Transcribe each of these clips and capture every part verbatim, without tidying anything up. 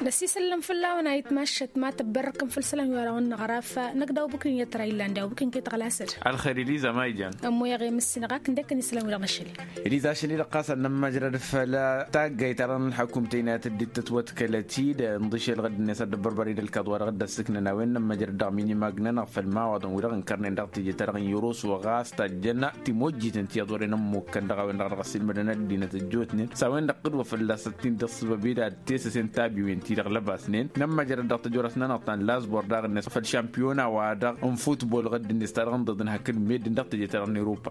Năsisăllăm făll-a-wen a itmašăt ma tăbbărrăkăm făll-isălan wi-dăɣ n-năɣraf. Năkk daw bǝkǝn i-ătra illan daw bǝkǝn kăy-tăɣlasăd. Ălxer iliza ma ijan. Ămmoyăɣ i-mǝssinăɣ ak n-dekăn isălan wi-dăɣ n-ašăl-i. Iliza ašăl-i-dăɣ ɣas ad-nămmăjrăd făll-taggayt-ta-dăɣ n-ălḥăkum tăynayăt dd-tătwătkălăt-dd ǝnḍǝšel ɣǝdd-net ad-dd-ăbbărbăr-dd ălkaḍ-wa-dăɣ dd-ăssǝknăn a-wen nămmăjrăd dăɣ-minimag-nănăɣ făll-imawaḍăn wi-dăɣ ǝnkărnen dăɣ-teje-ta-dăɣ n-irusu ɣas tajjăn timojjiten ti ăḍorăyăn ămmukkăn dăɣ-a-wen-dăɣ dăɣ-ăssiilmădăn ăddinăt ăjjootnen s-a-wen-dăɣ tǝdwăfăl d-asăt-in-dăɣ s-băbida d-tesăsen tabiwen-ti-dăɣ lăbasnen nămmăjrăd dăɣ-tăjorăt-nănăɣ ta n-lazbor daɣ-net făll-šampiyona-wa-dăɣ n-futbol ɣǝdd-net ta dăɣ-ǝnḍăḍăn hakd meddǝn dăɣ-teje-ta-dăɣ n-europa.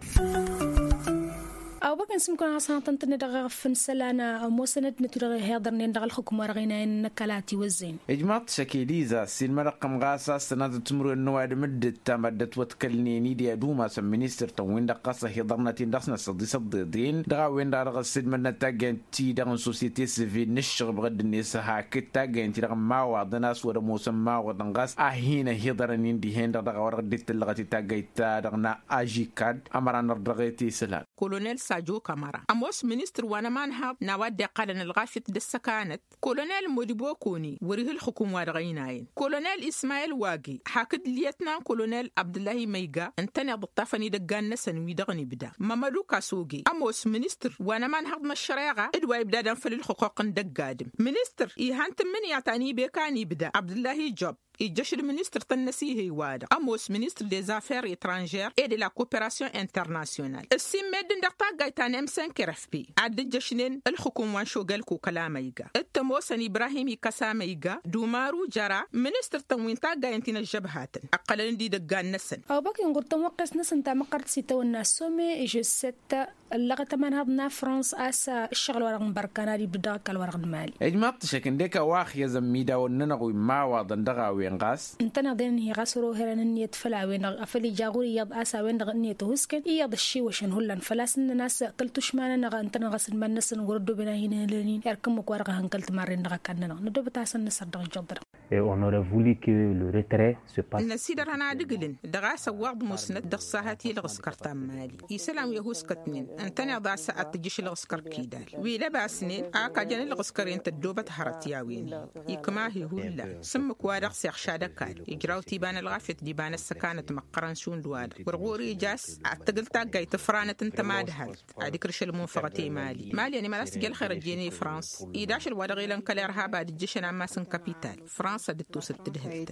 Awbăkăn s-mukăn ɣas hanăɣ-tăn-tǝnnă dăɣ-eɣăf n-isălan ămoosăn ăddinăt wi-dăɣ ihiḍărnen dăɣ-ălxukǝm wa dăɣ-inayăn n-ăkall a tiwăzzăyăn. Ijmaḍ-t šăkeliza ăssiilmădăɣ-tăm ɣas a-s tănazăt timǝrwen n-ăwadǝm dd-ǝttam ad-dd-ătwătkălnen-dd i-ad-umasăn ministăr-tăn-win-dăɣ ɣas ăhiḍărnăt-in dăɣ-snăsăḍ isăḍḍeḍen dăɣ-a-wen-dăɣ dăɣ-ăssiilmădnăt taggayăn-ti-dăɣ n-sosyete sivil n-ǝššăɣǝb ɣǝdd-net hakd taggayăn-ti-dăɣ n-imawaḍăn a-s wăr-ămoosăn imawaḍăn ɣas a hin-ăhiḍărăn-in dihen-dăɣ dăɣ-a-wa-dăɣ dd-tǝllăɣăt i-taggayt-ta-dăɣ n-ažikad. Ămăra n-ărdăɣet i-isălan. Kolonel sajo kamăra ămoos ministăr wa n-ămanhăḍ n-a-wa dd-iqqalăn ălɣafyăt d-ăssăkanăt. Kolonel modibokoni wăr-iha ǝlxǝkum wa dăɣ-ăynayăn kolonel ismayel wagi hakd lyetnan kolonel abdǝllahi măyga ǝntăneḍ ǝṭṭafăn idăggan-năsăn wi-dăɣ n-ibda. Mămădu kasoge ămoos ministăr wa n-ămanhăḍ n-ăššăreɣa d-wa ibdadăn făll-ǝlxǝquq n-dăgg-adǝm. Ministăr ihăn tǝmmǝnǝya ta n-ibeka n-ibda abdǝllahi job. Ijjăš d-ministăr tăn-năsihăy-wa-dăɣ ămoos ministăr dezaffer etranžer e de la koperasyon internasyonal ǝssin meddǝn dăɣ-taggayt ta n-emsenkerefpi ad-dd-ǝjjăšnen ǝlxǝkum wa n-šogelko kăla măyga. D-tămoosăn ibrahim ikăsa măyga d-umaru jăra ministăr-tăn wi n-taggayăn ti n-ăžžăbhatăn ǝqqălăn-dd idăggan-năsăn. Awbăk inɣur tănwăqqes-năsăn tamăqqărt s-itawănna some žosset. Ăllăɣăt ămanhăḍ n-afrăns a-s ǝššăɣǝl-wa-dăɣ n-bărkan ad-ibdǝd dăɣ-ăkall-wa-dăɣ n-mali. Ijmaḍ-t šăk ǝndek a-wa ăxyăzăn imidawăn-nănăɣ wi n-imawaḍăn dăɣ-a-wen ɣas. Ǝntăneḍ-en-hi ɣas wăr-oherăn ǝnniyăt făll-a-wen-dăɣ afăl ija ɣur-iyyăḍ a-s a-wen-dăɣ ǝnniyăt ăhuskăn iyyăḍ ăššiwăšăn hullan făl-a-s ǝnnăn a-s kăl-tušma-nănăɣ ǝntăneḍ ɣas d-iman-năsăn wăr-ăddooben a hin-ăhǝlăn-in erk ǝmmǝk-wa-dăɣ a hăn kăl-timarren dăɣ-ăkall-nănăɣ năddoobăt a hasăn-nǝsăr dăɣ-ijjăḍ-dăɣ. Et on aurait voulu que le retrait se passe. Năsidărhăn ad-ǝglǝn dăɣ-a-s ăwwaḍ musnăt dăɣ-sahăt i-ălɣǝskăr ta n-mali isălan wi ăhuskătnen ǝntăneḍ a-s ad-tǝjjǝš ălɣǝskăr kidal wi lăbasnen a kajăn ălɣǝskăr-en tăddoobăt hărăt i-a-wen-hi ikma-hi hullan s-ǝmmǝk-wa-dăɣ s-iɣšad ăkall ijraw-t iba n-ălɣafyăt d-iba n-ăssăkanăt măqqărăn šund-wa-dăɣ wăr ɣur-ija a-s ad-tăgǝl taggayt tǝfranăt n-tamad hal ad-ikrǝš ălmunfăɣăt i-mali mali ănimălas tǝjj ălxer ăjjeen i-frans-i d-ašăl wa dăɣ-ilăn kăl-irhab ad-ǝjjǝšăn ammas n-kapital. Frans ad-dd-tosăt tǝdhǝlt.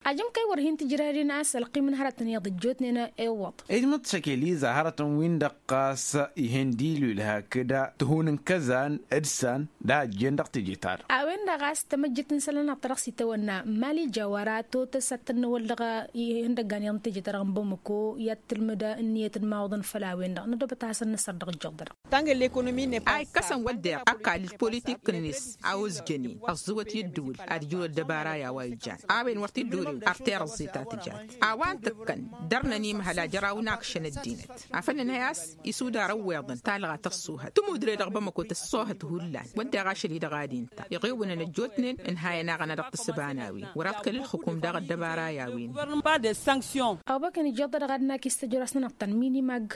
Ajǝm kăy-wăr hin-tǝjrăd i-năɣas ălqim n-hărătăn iyyăḍ ăjjootnen. Iwwăḍ. Ijmăḍ-t šăkeliza hărătăn-win-dăɣ ɣas ihen d-ilul hakd tihun n-kăzan d-san d-a ăjjeen dăɣ-teje-ta-dăɣ. A-wen-dăɣ ɣas tamăjjit n-isălan-năɣ ta dăɣ-s itawănna mali jawara totăs ad-tăn-năwăl dăɣ-ihăndăggan iyyăḍ n-teje-ta-dăɣ n-bamăko i-ad-tǝlmǝd ǝnniyăt n-imawaḍăn făll-a-wen-dăɣ nădobăt a hasăn-năsăr dăɣ-ǝjjăḍ-dăɣ. A ikkăsăn wădden ăkall politik-net a ozjănen ăẓẓǝwăt i-ǝddǝwǝl ad-ǝjrǝw ăddăbara i-a-wa ijan a-wen wăr t-dd-orew ărter ăẓẓe ta tǝjat a-wa n-tǝkkăn dăr-năn imhăl a jăraw n-akšăn ăddinăt afăl nǝnhăy a-s isudar ăwweḍăn talɣa tăṣṣuhăt tǝmudre dăɣ-bamăko tăṣṣuhăt hullan wădden ašăl-i-dăɣ ad-inta iɣewǝnăn ăjjootnen ǝnhayăn-aɣ ăna dăɣ-tǝssǝba n-a-wen wăr-ad-kăl-ǝlxǝkum daɣ ăddăbara i-a-wen. Awbăkăn ijăḍ-dăɣ ad-nakis tăjrăsnănăɣ-tăn minimag.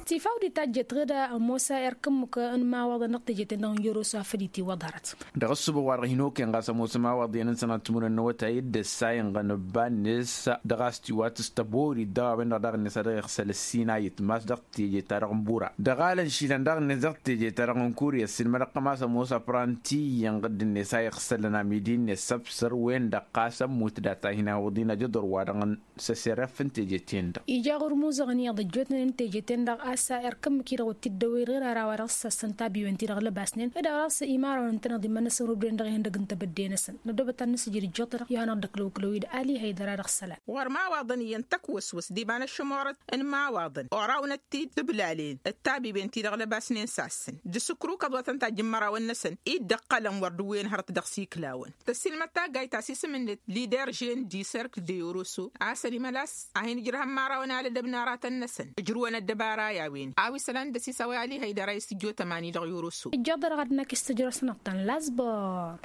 Tifawdit ta ǝjjet ɣǝd ămoos erk ǝmmǝk n-imawaḍăn dăɣ-teje-ten-dăɣ n-jăroso a făl itiwăḍ hărăt. Dăɣ-ǝssǝbăɣ wa dăɣ-hin-okăyăn ɣas ămoos imawaḍ iyyăn n-sănat timǝrwen n-awătay d-ǝssa inɣăn ǝbba-net dăɣ-a-s tiwatǝs tăborit dăɣ-a-wen-dăɣ daɣ-net a dăɣ-iɣsăl ăssinayǝt mas dăɣ-teje-ta-dăɣ n-bura dăɣ-alăn išilan daɣ-net dăɣ-teje-ta-dăɣ n-kurya ǝssin mad-ăqqăm a-s ămoos apranti iyyăn ɣǝdd-net a iɣsălăn amidi-net săbsăr-wen-dăɣ ɣas ămmut data hin-awǝḍ-in ajăḍor wa dăɣ-n s-ăserref n-teje-ten-dăɣ. Ija ɣur-imuzăɣăn iyyăḍ ăjjootnen n-teje-ten-dăɣ a-s erk ǝmmǝk-i-dăɣ wăr t-dd-ăwwăy ɣir ara wa dăɣ-s ăssăn tabiwen-ti-dăɣ lăbasnen d-a-wa dăɣ-s imarăn ǝntăneḍ iman-năsăn wăr dd-en dăɣ-ihăndăg n-tebădde-năsăn nădobăt ad-nǝsǝjǝd ǝjjăḍ-dăɣ i-hanăɣ-dd-ăklăw ǝklăw-dd ali hăydăra dăɣ-isălan. Ɣur-imawaḍăn iyyăn tăkwăswăs d-iba n-ăššămorăt n-imawaḍăn orawnăt-t-dd tǝblalen d-tabiwen-ti-dăɣ lăbasnen s-assăn d-asǝkrukăḍ wa tăn-tajj n-imărawăn-năsăn i dd-ăqqălăn wăr dd-wen hărăt dăɣ-s iklawăn. Tăssiilmăd taggayt ta s-isǝm-net lider žen di serk de oroso a-s ănimălas a hin-ǝjrăhăn imărawăn alădăb n-aratăn-năsăn ǝjrǝwăn ăddăbara i-a-wen a-wa isălan d-ăsisawăy ali hăydăra i-s tǝjjo tămani dăɣ-i oroso. Ǝjjaḍ-dăɣ ad-năkk s-tǝjrăsnăɣ-tăn lazbăr.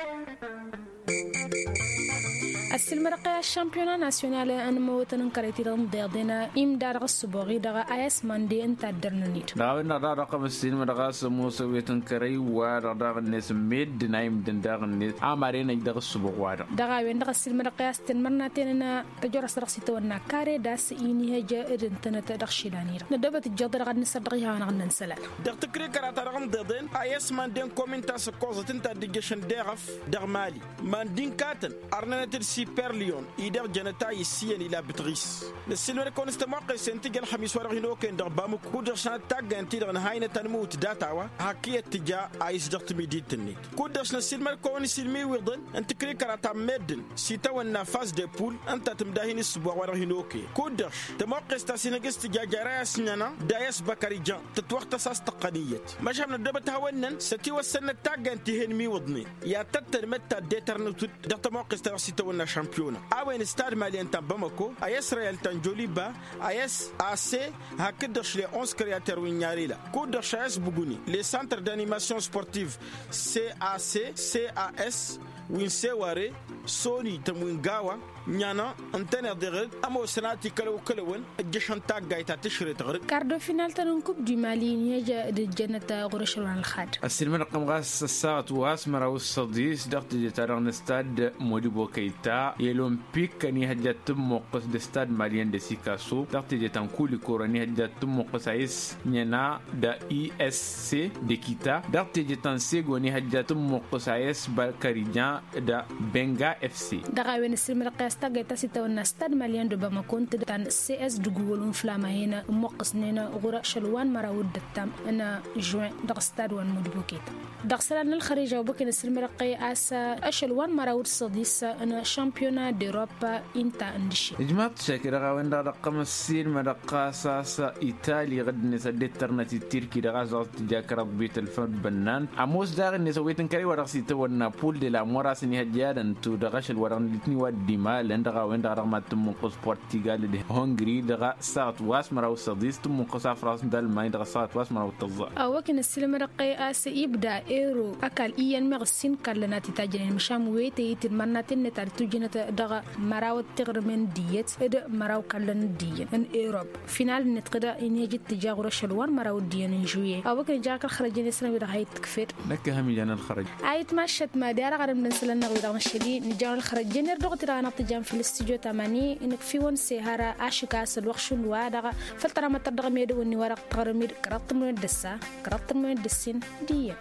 Ăssiilmădăɣ-t i-aššămpiyona nasyonal n-imăwătăn n-kărăy-ti-dăɣ n-iḍeḍen imda dăɣ-ăssǝboɣ-i-dăɣ a i-s mande ǝnta a dd-ărnăn-dd. Dăɣ-a-wen-dăɣ daɣ dăɣ-kămăssin mădăɣ a-s ămoos ăwet n-kărăy-wa-dăɣ daɣ-net meddǝn a imdǝn daɣ-net a mad-enăj dăɣ-ăssǝboɣ-wa-dăɣ. Dăɣ-a-wen-dăɣ ăssiilmădăɣ-t i-a-s tǝnmărnaten n-tăjorăs dăɣ-s itawănna kare d-a-s inihăj d-ǝntănăt dăɣ-išilan-i-dăɣ năddobăt ǝjjeḍ-i-dăɣ ad-nǝsăr dăɣ-ihawăn ad-nănsalăl. Dăɣ-tǝkrikăra-ta-dăɣ n-iḍeḍen a i-s manden komin ta s-ǝkkoẓăt ǝnta a dd-ǝjjăšăn deɣăf dăɣ-mali mandi n-katăn ărnănăt-dd siperliyon-i-dăɣ jănăt a issiyăn ila bǝtɣis. Năssiilmăd-kăwăn s-tămoqqes-en tǝjj ălxămis-wa-dăɣ hin-okăyăn dăɣ-bamuk kud-dăɣ šanăt taggayăn-ti-dăɣ ǝnhăynăt anmǝwǝt data-wa hak iyyăt tǝja a isjăɣ timidit-net. Kud-dăɣ š-năssiilmăd-kăwăn s-ilmiwiḍăn n-tǝkrikăra ta n-meddǝn s-itawănna fas de pul ǝnta tǝmda hin-ǝssǝboɣ-wa-dăɣ hin-okăyăn kud-dăɣ š-tămoqqes ta s-inhǝj s-tǝja jare a i-s ǝnhănăn d-a i-s băkăr ijan tǝtwăɣtăs a-s tăqqăn iyyăt. Măšan năddobăt hawăn-năn s-ătiwăssănnăt taggayăn ti he-inmiwǝḍnen i-ad-tăttălmăd taddetărnăt-dd dăɣ-tămoqqes ta dăɣ-s itawănna šămpiyona a-wen s-tadmaliyăn ta n-bamăko a i-s reyal ta n-joliba a i-s a s hakd-dăɣ š-le-ons kăryatăr wi n-inyarela kud-dăɣ š-a i-s buguni le santăr d-animasyon sportiv c a s c a s wi n-seware soni tăm wi n-gawa. Ǝnhănăn ǝntăneḍ iɣǝd ămoosăn a tikălăw-kălăwăn ǝjjăšăn taggayt ta tǝšret ɣǝrǝk. Kardo final-tăn n-kub du mali n-ihăj d-ǝjjănăt ɣur-ašăl wa n-ălxad. Ăssiilmădăɣ-tăm ɣas ăssaɣăt wa s-măraw d-săḍis dăɣ-teje-ta-dăɣ n-stad modibo kăyta i-ălompik ănihăjja tǝmmuqqǝs d-stad maliyăn d-sikaso dăɣ-teje ta n-kulikor ănihăjja tǝmmuqqǝs a i-s nyăna d-i s c d-ekita dăɣ-teje ta n-sego ănihăjja tǝmmuqqǝs a i-s bălkărijan d-benga f c. Dăɣ-a-wen ăssiilmădăɣ-t i-a-s taggayt ta s-itawănna stad maliyăn d-obamăko ǝnta ta n-cs d-gugol unflama-hen ǝmmuqqǝsnen ɣur-ašăl wa n-măraw d-ǝttam n-žuin dăɣ-stad wa n-mudbuketa. Dăɣ-isălan n-ălxărija obăken ăssiilmădăɣ-t i-a-s ašăl wa n-măraw d-săḍis n-šămpiyona d-europa ǝnta n-dǝššen. Ijmaḍ-t šake dăɣ-a-wen-dăɣ dăɣ-tăm ăssiilmădăɣ ɣas a-s itali ɣǝdd-net ad-dd-tărnăt d-tirki dăɣ-a-s dăɣ-s-tǝja kăraḍ bitălfăd bănnan ămoos daɣ-net ăwwet n-kărăy wa dăɣ-s itawănna pul de la mora s-ănihăjja ad-ăntu dăɣ-ašăl wa dăɣ-nǝlǝtni wa dd-imalăn dăɣ-a-wen-dăɣ dăɣ-mad-tǝmmǝnqǝs portigal d-hungri dăɣ-a saɣăt wa s-măraw s-ăḍis tǝmmǝnqǝs a frans d-almany dăɣ-a saɣăt wa s-măraw d-tăẓẓa. Awăkǝn ăssiilmădăɣ-t i-a-s ibda ero ăkall iyyăn meɣ ǝssin kallăn a t-itajjănen măšan wetăy i-tǝdmărnaten-net ad-tujǝnăt dăɣ-măraw d-tiɣrǝmen d-iyyăt d-măraw kallăn d-iyyăn n-erop. Final-net kăd inhăj d-tǝja ɣur-ašăl wa n-măraw d-iyyăn n-žuye awăkǝn ija kăl-xărăjăn i-săn wi-dăɣ hayǝt tǝkfed. Năkk ehăm ijan ălxărăj. Ayǝt maššăt mad-i ara ɣarăm d-ănsălăn-năɣ wi-dăɣ năšăli nǝjăn ălxărăjăn erdăɣ-t-dăɣ anăɣ-tǝjam făll-stujo tamani. Inǝkf'-iwăn s-ehăr ašǝk a-s ălwăqq šund wa-dăɣ făll-tăramătăr dăɣ-medăwăn-ni wa-dăɣ tăɣrǝm-dd kăraḍ tǝmrăwen d-ăssa kăraḍ tǝmrăwen d-ǝssin. D-iyyăn.